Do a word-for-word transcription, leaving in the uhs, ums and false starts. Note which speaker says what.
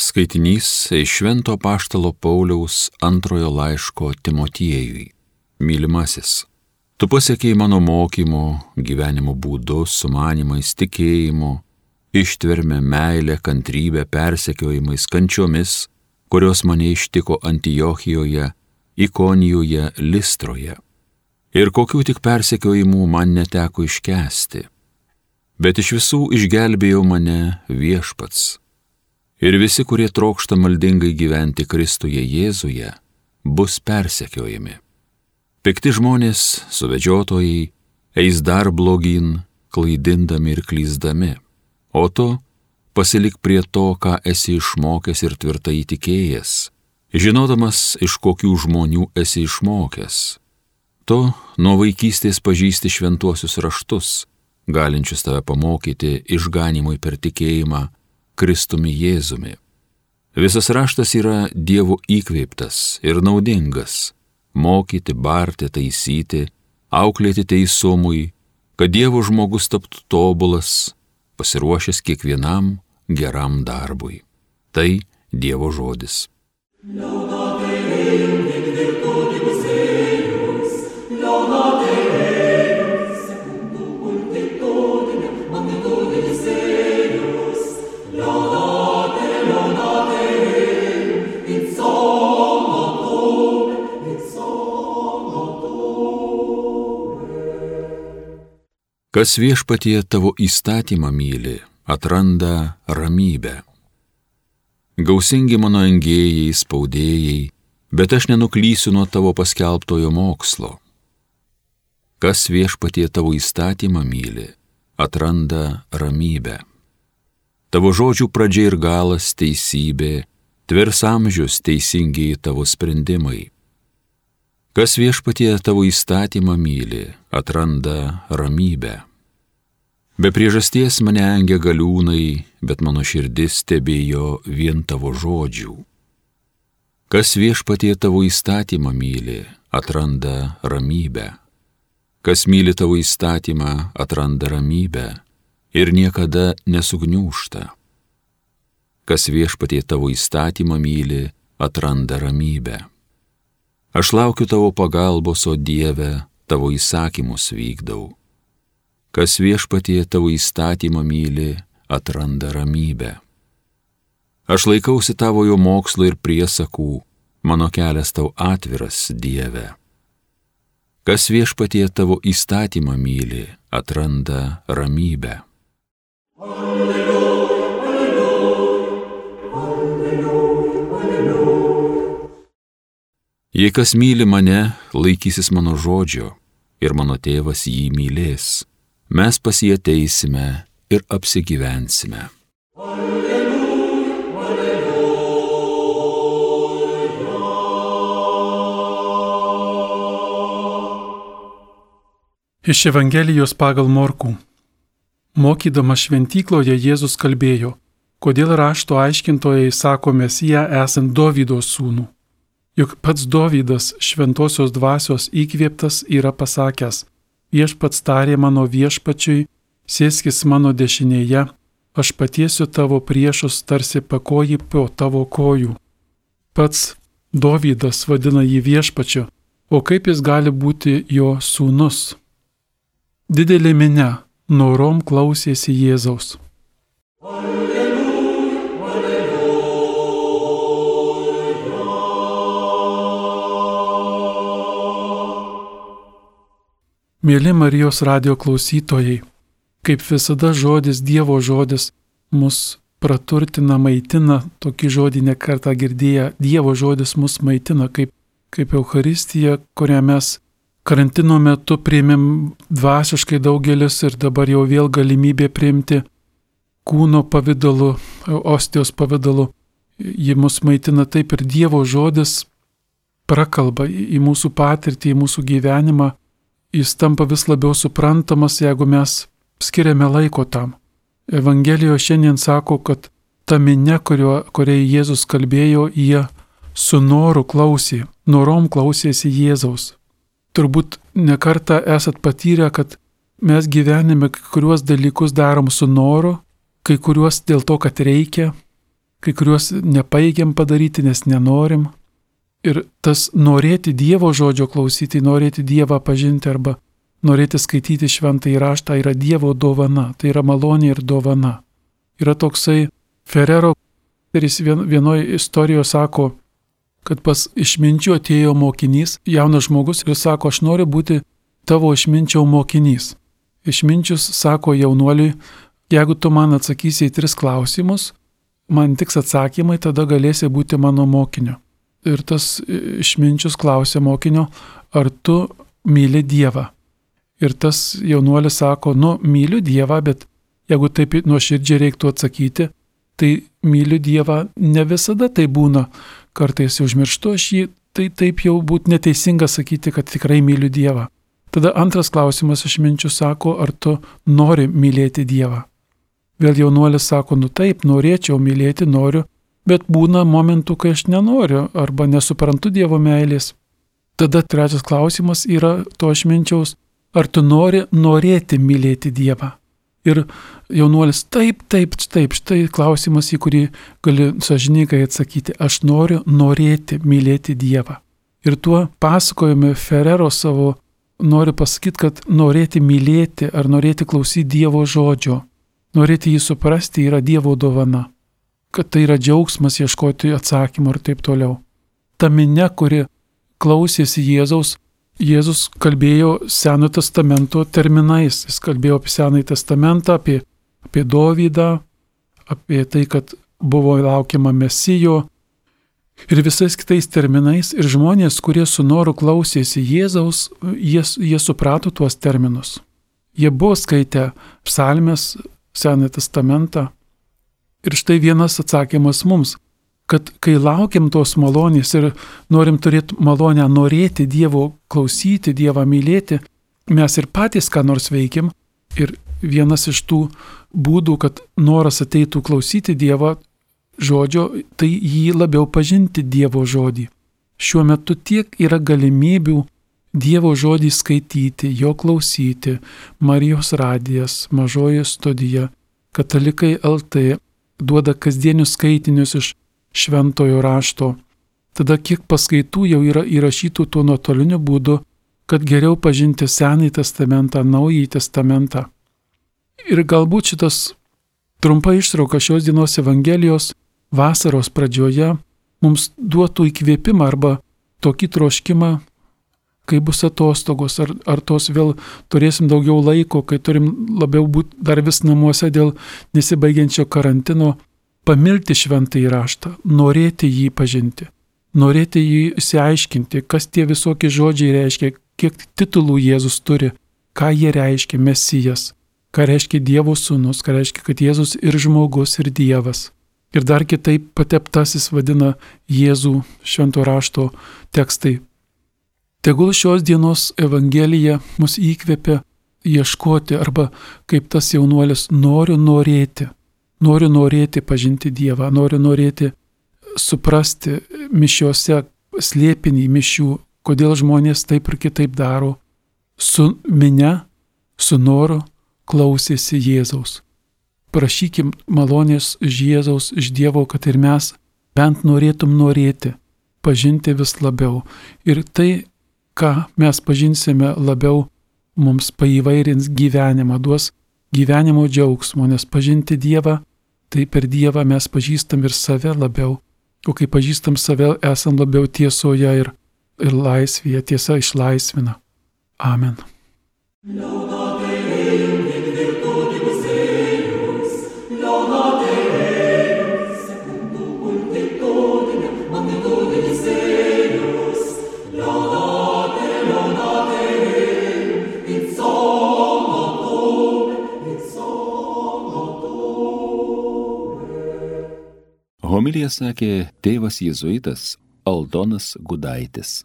Speaker 1: Skaitinys iš Švento Apaštalo Pauliaus antrojo laiško Timotiejui. Mylimasis, tu pasiekei mano mokymo, gyvenimo būdu, sumanimais, tikėjimu, ištverme, meilę, kantrybę, persekiojimais, kančiomis, kurios mane ištiko Antiochijoje, Ikonijoje, Listroje. Ir kokių tik persekiojimų man neteko iškęsti. Bet iš visų išgelbėjo mane Viešpats. Ir visi, kurie trokšta maldingai gyventi Kristuje Jėzuje, bus persekiojami. Pikti žmonės, suvedžiotojai, eis dar blogyn, klaidindami ir klysdami. O tu pasilik prie to, ką esi išmokęs ir tvirtai tikėjęs, žinodamas, iš kokių žmonių esi išmokęs. Tu nuo vaikystės pažįsti šventuosius raštus, galinčius tave pamokyti išganymui per tikėjimą Kristumi Jėzumi. Visas raštas yra Dievo įkvėptas ir naudingas, mokyti, barti, taisyti, auklėti teisumui, kad Dievo žmogus taptų tobulas, pasiruošęs kiekvienam geram darbui. Tai Dievo žodis. Kas Viešpatie tavo įstatymą myli, atranda ramybę. Gausingi mano engėjai, spaudėjai, bet aš nenuklysiu nuo tavo paskelbtojo mokslo. Kas Viešpatie tavo įstatymą myli, atranda ramybę. Tavo žodžių pradžia ir galas teisybė, tvers amžius teisingiai tavo sprendimai. Kas Viešpatie tavo įstatymą myli, atranda ramybę. Be priežasties mane engia galiūnai, bet mano širdis stebėjo vien tavo žodžių. Kas Viešpatie tavo įstatymą myli, atranda ramybę. Kas myli tavo įstatymą, atranda ramybę ir niekada nesugniūžta. Kas Viešpatie tavo įstatymą myli, atranda ramybę. Aš laukiu tavo pagalbos, o Dieve, tavo įsakymus vykdau. Kas Viešpatie tavo įstatymą myli, atranda ramybę. Aš laikausi tavojo mokslo ir priesakų, mano kelias tau atviras, Dieve. Kas Viešpatie tavo įstatymą myli, atranda ramybę. Alleluja, alleluja, alleluja, alleluja. Jei kas myli mane, laikysis mano žodžio, ir mano tėvas jį mylės. Mes pas jį ateisime ir apsigyvensime. Alleluja, alleluja.
Speaker 2: Iš Evangelijos pagal Morkų. Mokydamas šventykloje Jėzus kalbėjo, kodėl rašto aiškintojai sako Mesiją esant Dovydo sūnų. Juk pats Dovydas šventosios dvasios įkvėptas yra pasakęs, Viešpats tarė mano viešpačiui, sėskis mano dešinėje, aš patiesiu tavo priešus tarsi pakojį po tavo kojų. Pats Dovydas vadina jį viešpačiu, o kaip jis gali būti jo sūnus? Didelė minia norom klausėsi Jėzaus. Mėly Marijos radijo klausytojai, kaip visada žodis, Dievo žodis, mus praturtina, maitina, tokį žodį ne kartą girdėję, Dievo žodis mus maitina, kaip, kaip Eucharistija, kurią mes karantino metu priėmėm dvasiškai daugelis ir dabar jau vėl galimybė priimti kūno pavidalu, ostijos pavidalu. Ji mus maitina taip ir Dievo žodis prakalba į mūsų patirtį, į mūsų gyvenimą. Jis tampa vis labiau suprantamas, jeigu mes skiriame laiko tam. Evangelijoje šiandien sako, kad ta minia, kurio, kuriai Jėzus kalbėjo, jie su noru klausė, norom klausėsi Jėzaus. Turbūt nekartą esat patyrę, kad mes gyvenime kai kuriuos dalykus darom su noru, kai kuriuos dėl to, kad reikia, kai kuriuos nepajėgiam padaryti, nes nenorim. Ir tas norėti Dievo žodžio klausyti, norėti Dievą pažinti arba norėti skaityti šventąjį raštą yra Dievo dovana, tai yra malonė ir dovana. Yra toksai Ferrero, kuris vienoje istorijoje sako, kad pas išminčių atėjo mokinys, jaunas žmogus ir sako, aš noriu būti tavo išminčiau mokinys. Išminčius sako jaunuoliui, jeigu tu man atsakysi į tris klausimus, man tiks atsakymai, tada galėsi būti mano mokiniu. Ir tas išminčius klausė mokinio, ar tu myli Dievą. Ir tas jaunuolis sako, nu, myliu Dievą, bet jeigu taip nuoširdžiai reiktų atsakyti, tai myliu Dievą, ne visada tai būna. Kartais užmirštu aš jį, tai taip jau būtų neteisinga sakyti, kad tikrai myliu Dievą. Tada antras klausimas išminčius sako, ar tu nori mylėti Dievą. Vėl jaunuolis sako, nu taip, norėčiau mylėti, noriu, bet būna momentų, kai aš nenoriu arba nesuprantu Dievo meilės. Tada trečias klausimas yra to išminčiaus, ar tu nori norėti mylėti Dievą. Ir jaunuolis, taip, taip, taip, štai klausimas, į kurį gali sąžiningai atsakyti, aš noriu norėti mylėti Dievą. Ir tuo pasakojame Ferrero savo, noriu pasakyti, kad norėti mylėti ar norėti klausyti Dievo žodžio, norėti jį suprasti yra Dievo dovana, kad tai yra džiaugsmas ieškoti atsakymų ir taip toliau. Ta minia, kuri klausėsi Jėzaus, Jėzus kalbėjo Senojo testamento terminais. Jis kalbėjo apie Senąjį testamentą, apie, apie Dovydą, apie tai, kad buvo laukiama Mesijo ir visais kitais terminais. Ir žmonės, kurie su noru klausėsi Jėzaus, jie, jie suprato tuos terminus. Jie buvo skaitę psalmes, Senąjį testamentą. Ir štai vienas atsakymas mums, kad kai laukiam tos malonės ir norim turėti malonę norėti Dievo klausyti, Dievą mylėti, mes ir patys ką nors veikim. Ir vienas iš tų būdų, kad noras ateitų klausyti Dievo žodžio, tai jį labiau pažinti Dievo žodį. Šiuo metu tiek yra galimybių Dievo žodį skaityti, jo klausyti, Marijos radijas, Mažoji studija, Katalikai L T duoda kasdienius skaitinius iš šventojo rašto. Tada kiek paskaitų jau yra įrašytų tuo nuotoliniu būdu, kad geriau pažinti Senąjį testamentą, Naująjį testamentą. Ir galbūt šitas trumpa ištrauka šios dienos Evangelijos vasaros pradžioje mums duotų įkvėpimą arba tokį troškimą, kai bus atostogos, ar, ar tos vėl turėsim daugiau laiko, kai turim labiau būti dar vis namuose dėl nesibaigiančio karantino, pamilti šventąjį raštą, norėti jį pažinti, norėti jį išsiaiškinti, kas tie visokie žodžiai reiškia, kiek titulų Jėzus turi, ką jie reiškia, Mesijas, ką reiškia Dievo sūnus, ką reiškia, kad Jėzus ir žmogus, ir Dievas. Ir dar kitaip pateptasis vadina Jėzų švento rašto tekstai. Tegul šios dienos Evangelija mus įkvepia ieškoti arba kaip tas jaunuolis noriu norėti. Noriu norėti pažinti Dievą, noriu norėti suprasti mišiuose slėpinį mišių, kodėl žmonės taip ir kitaip daro. Su minia, su noru klausėsi Jėzaus. Prašykim malonės iš Jėzaus, iš Dievo, kad ir mes bent norėtum norėti, pažinti vis labiau. Ir tai, ką mes pažinsime labiau, mums paįvairins gyvenimą, duos gyvenimo džiaugsmo, nes pažinti Dievą, tai per Dievą mes pažįstam ir save labiau, o kai pažįstam save, esam labiau tiesoje ir, ir laisvėje, tiesa išlaisvina. Amen.
Speaker 1: Homiliją sakė tėvas jėzuitas Aldonas Gudaitis.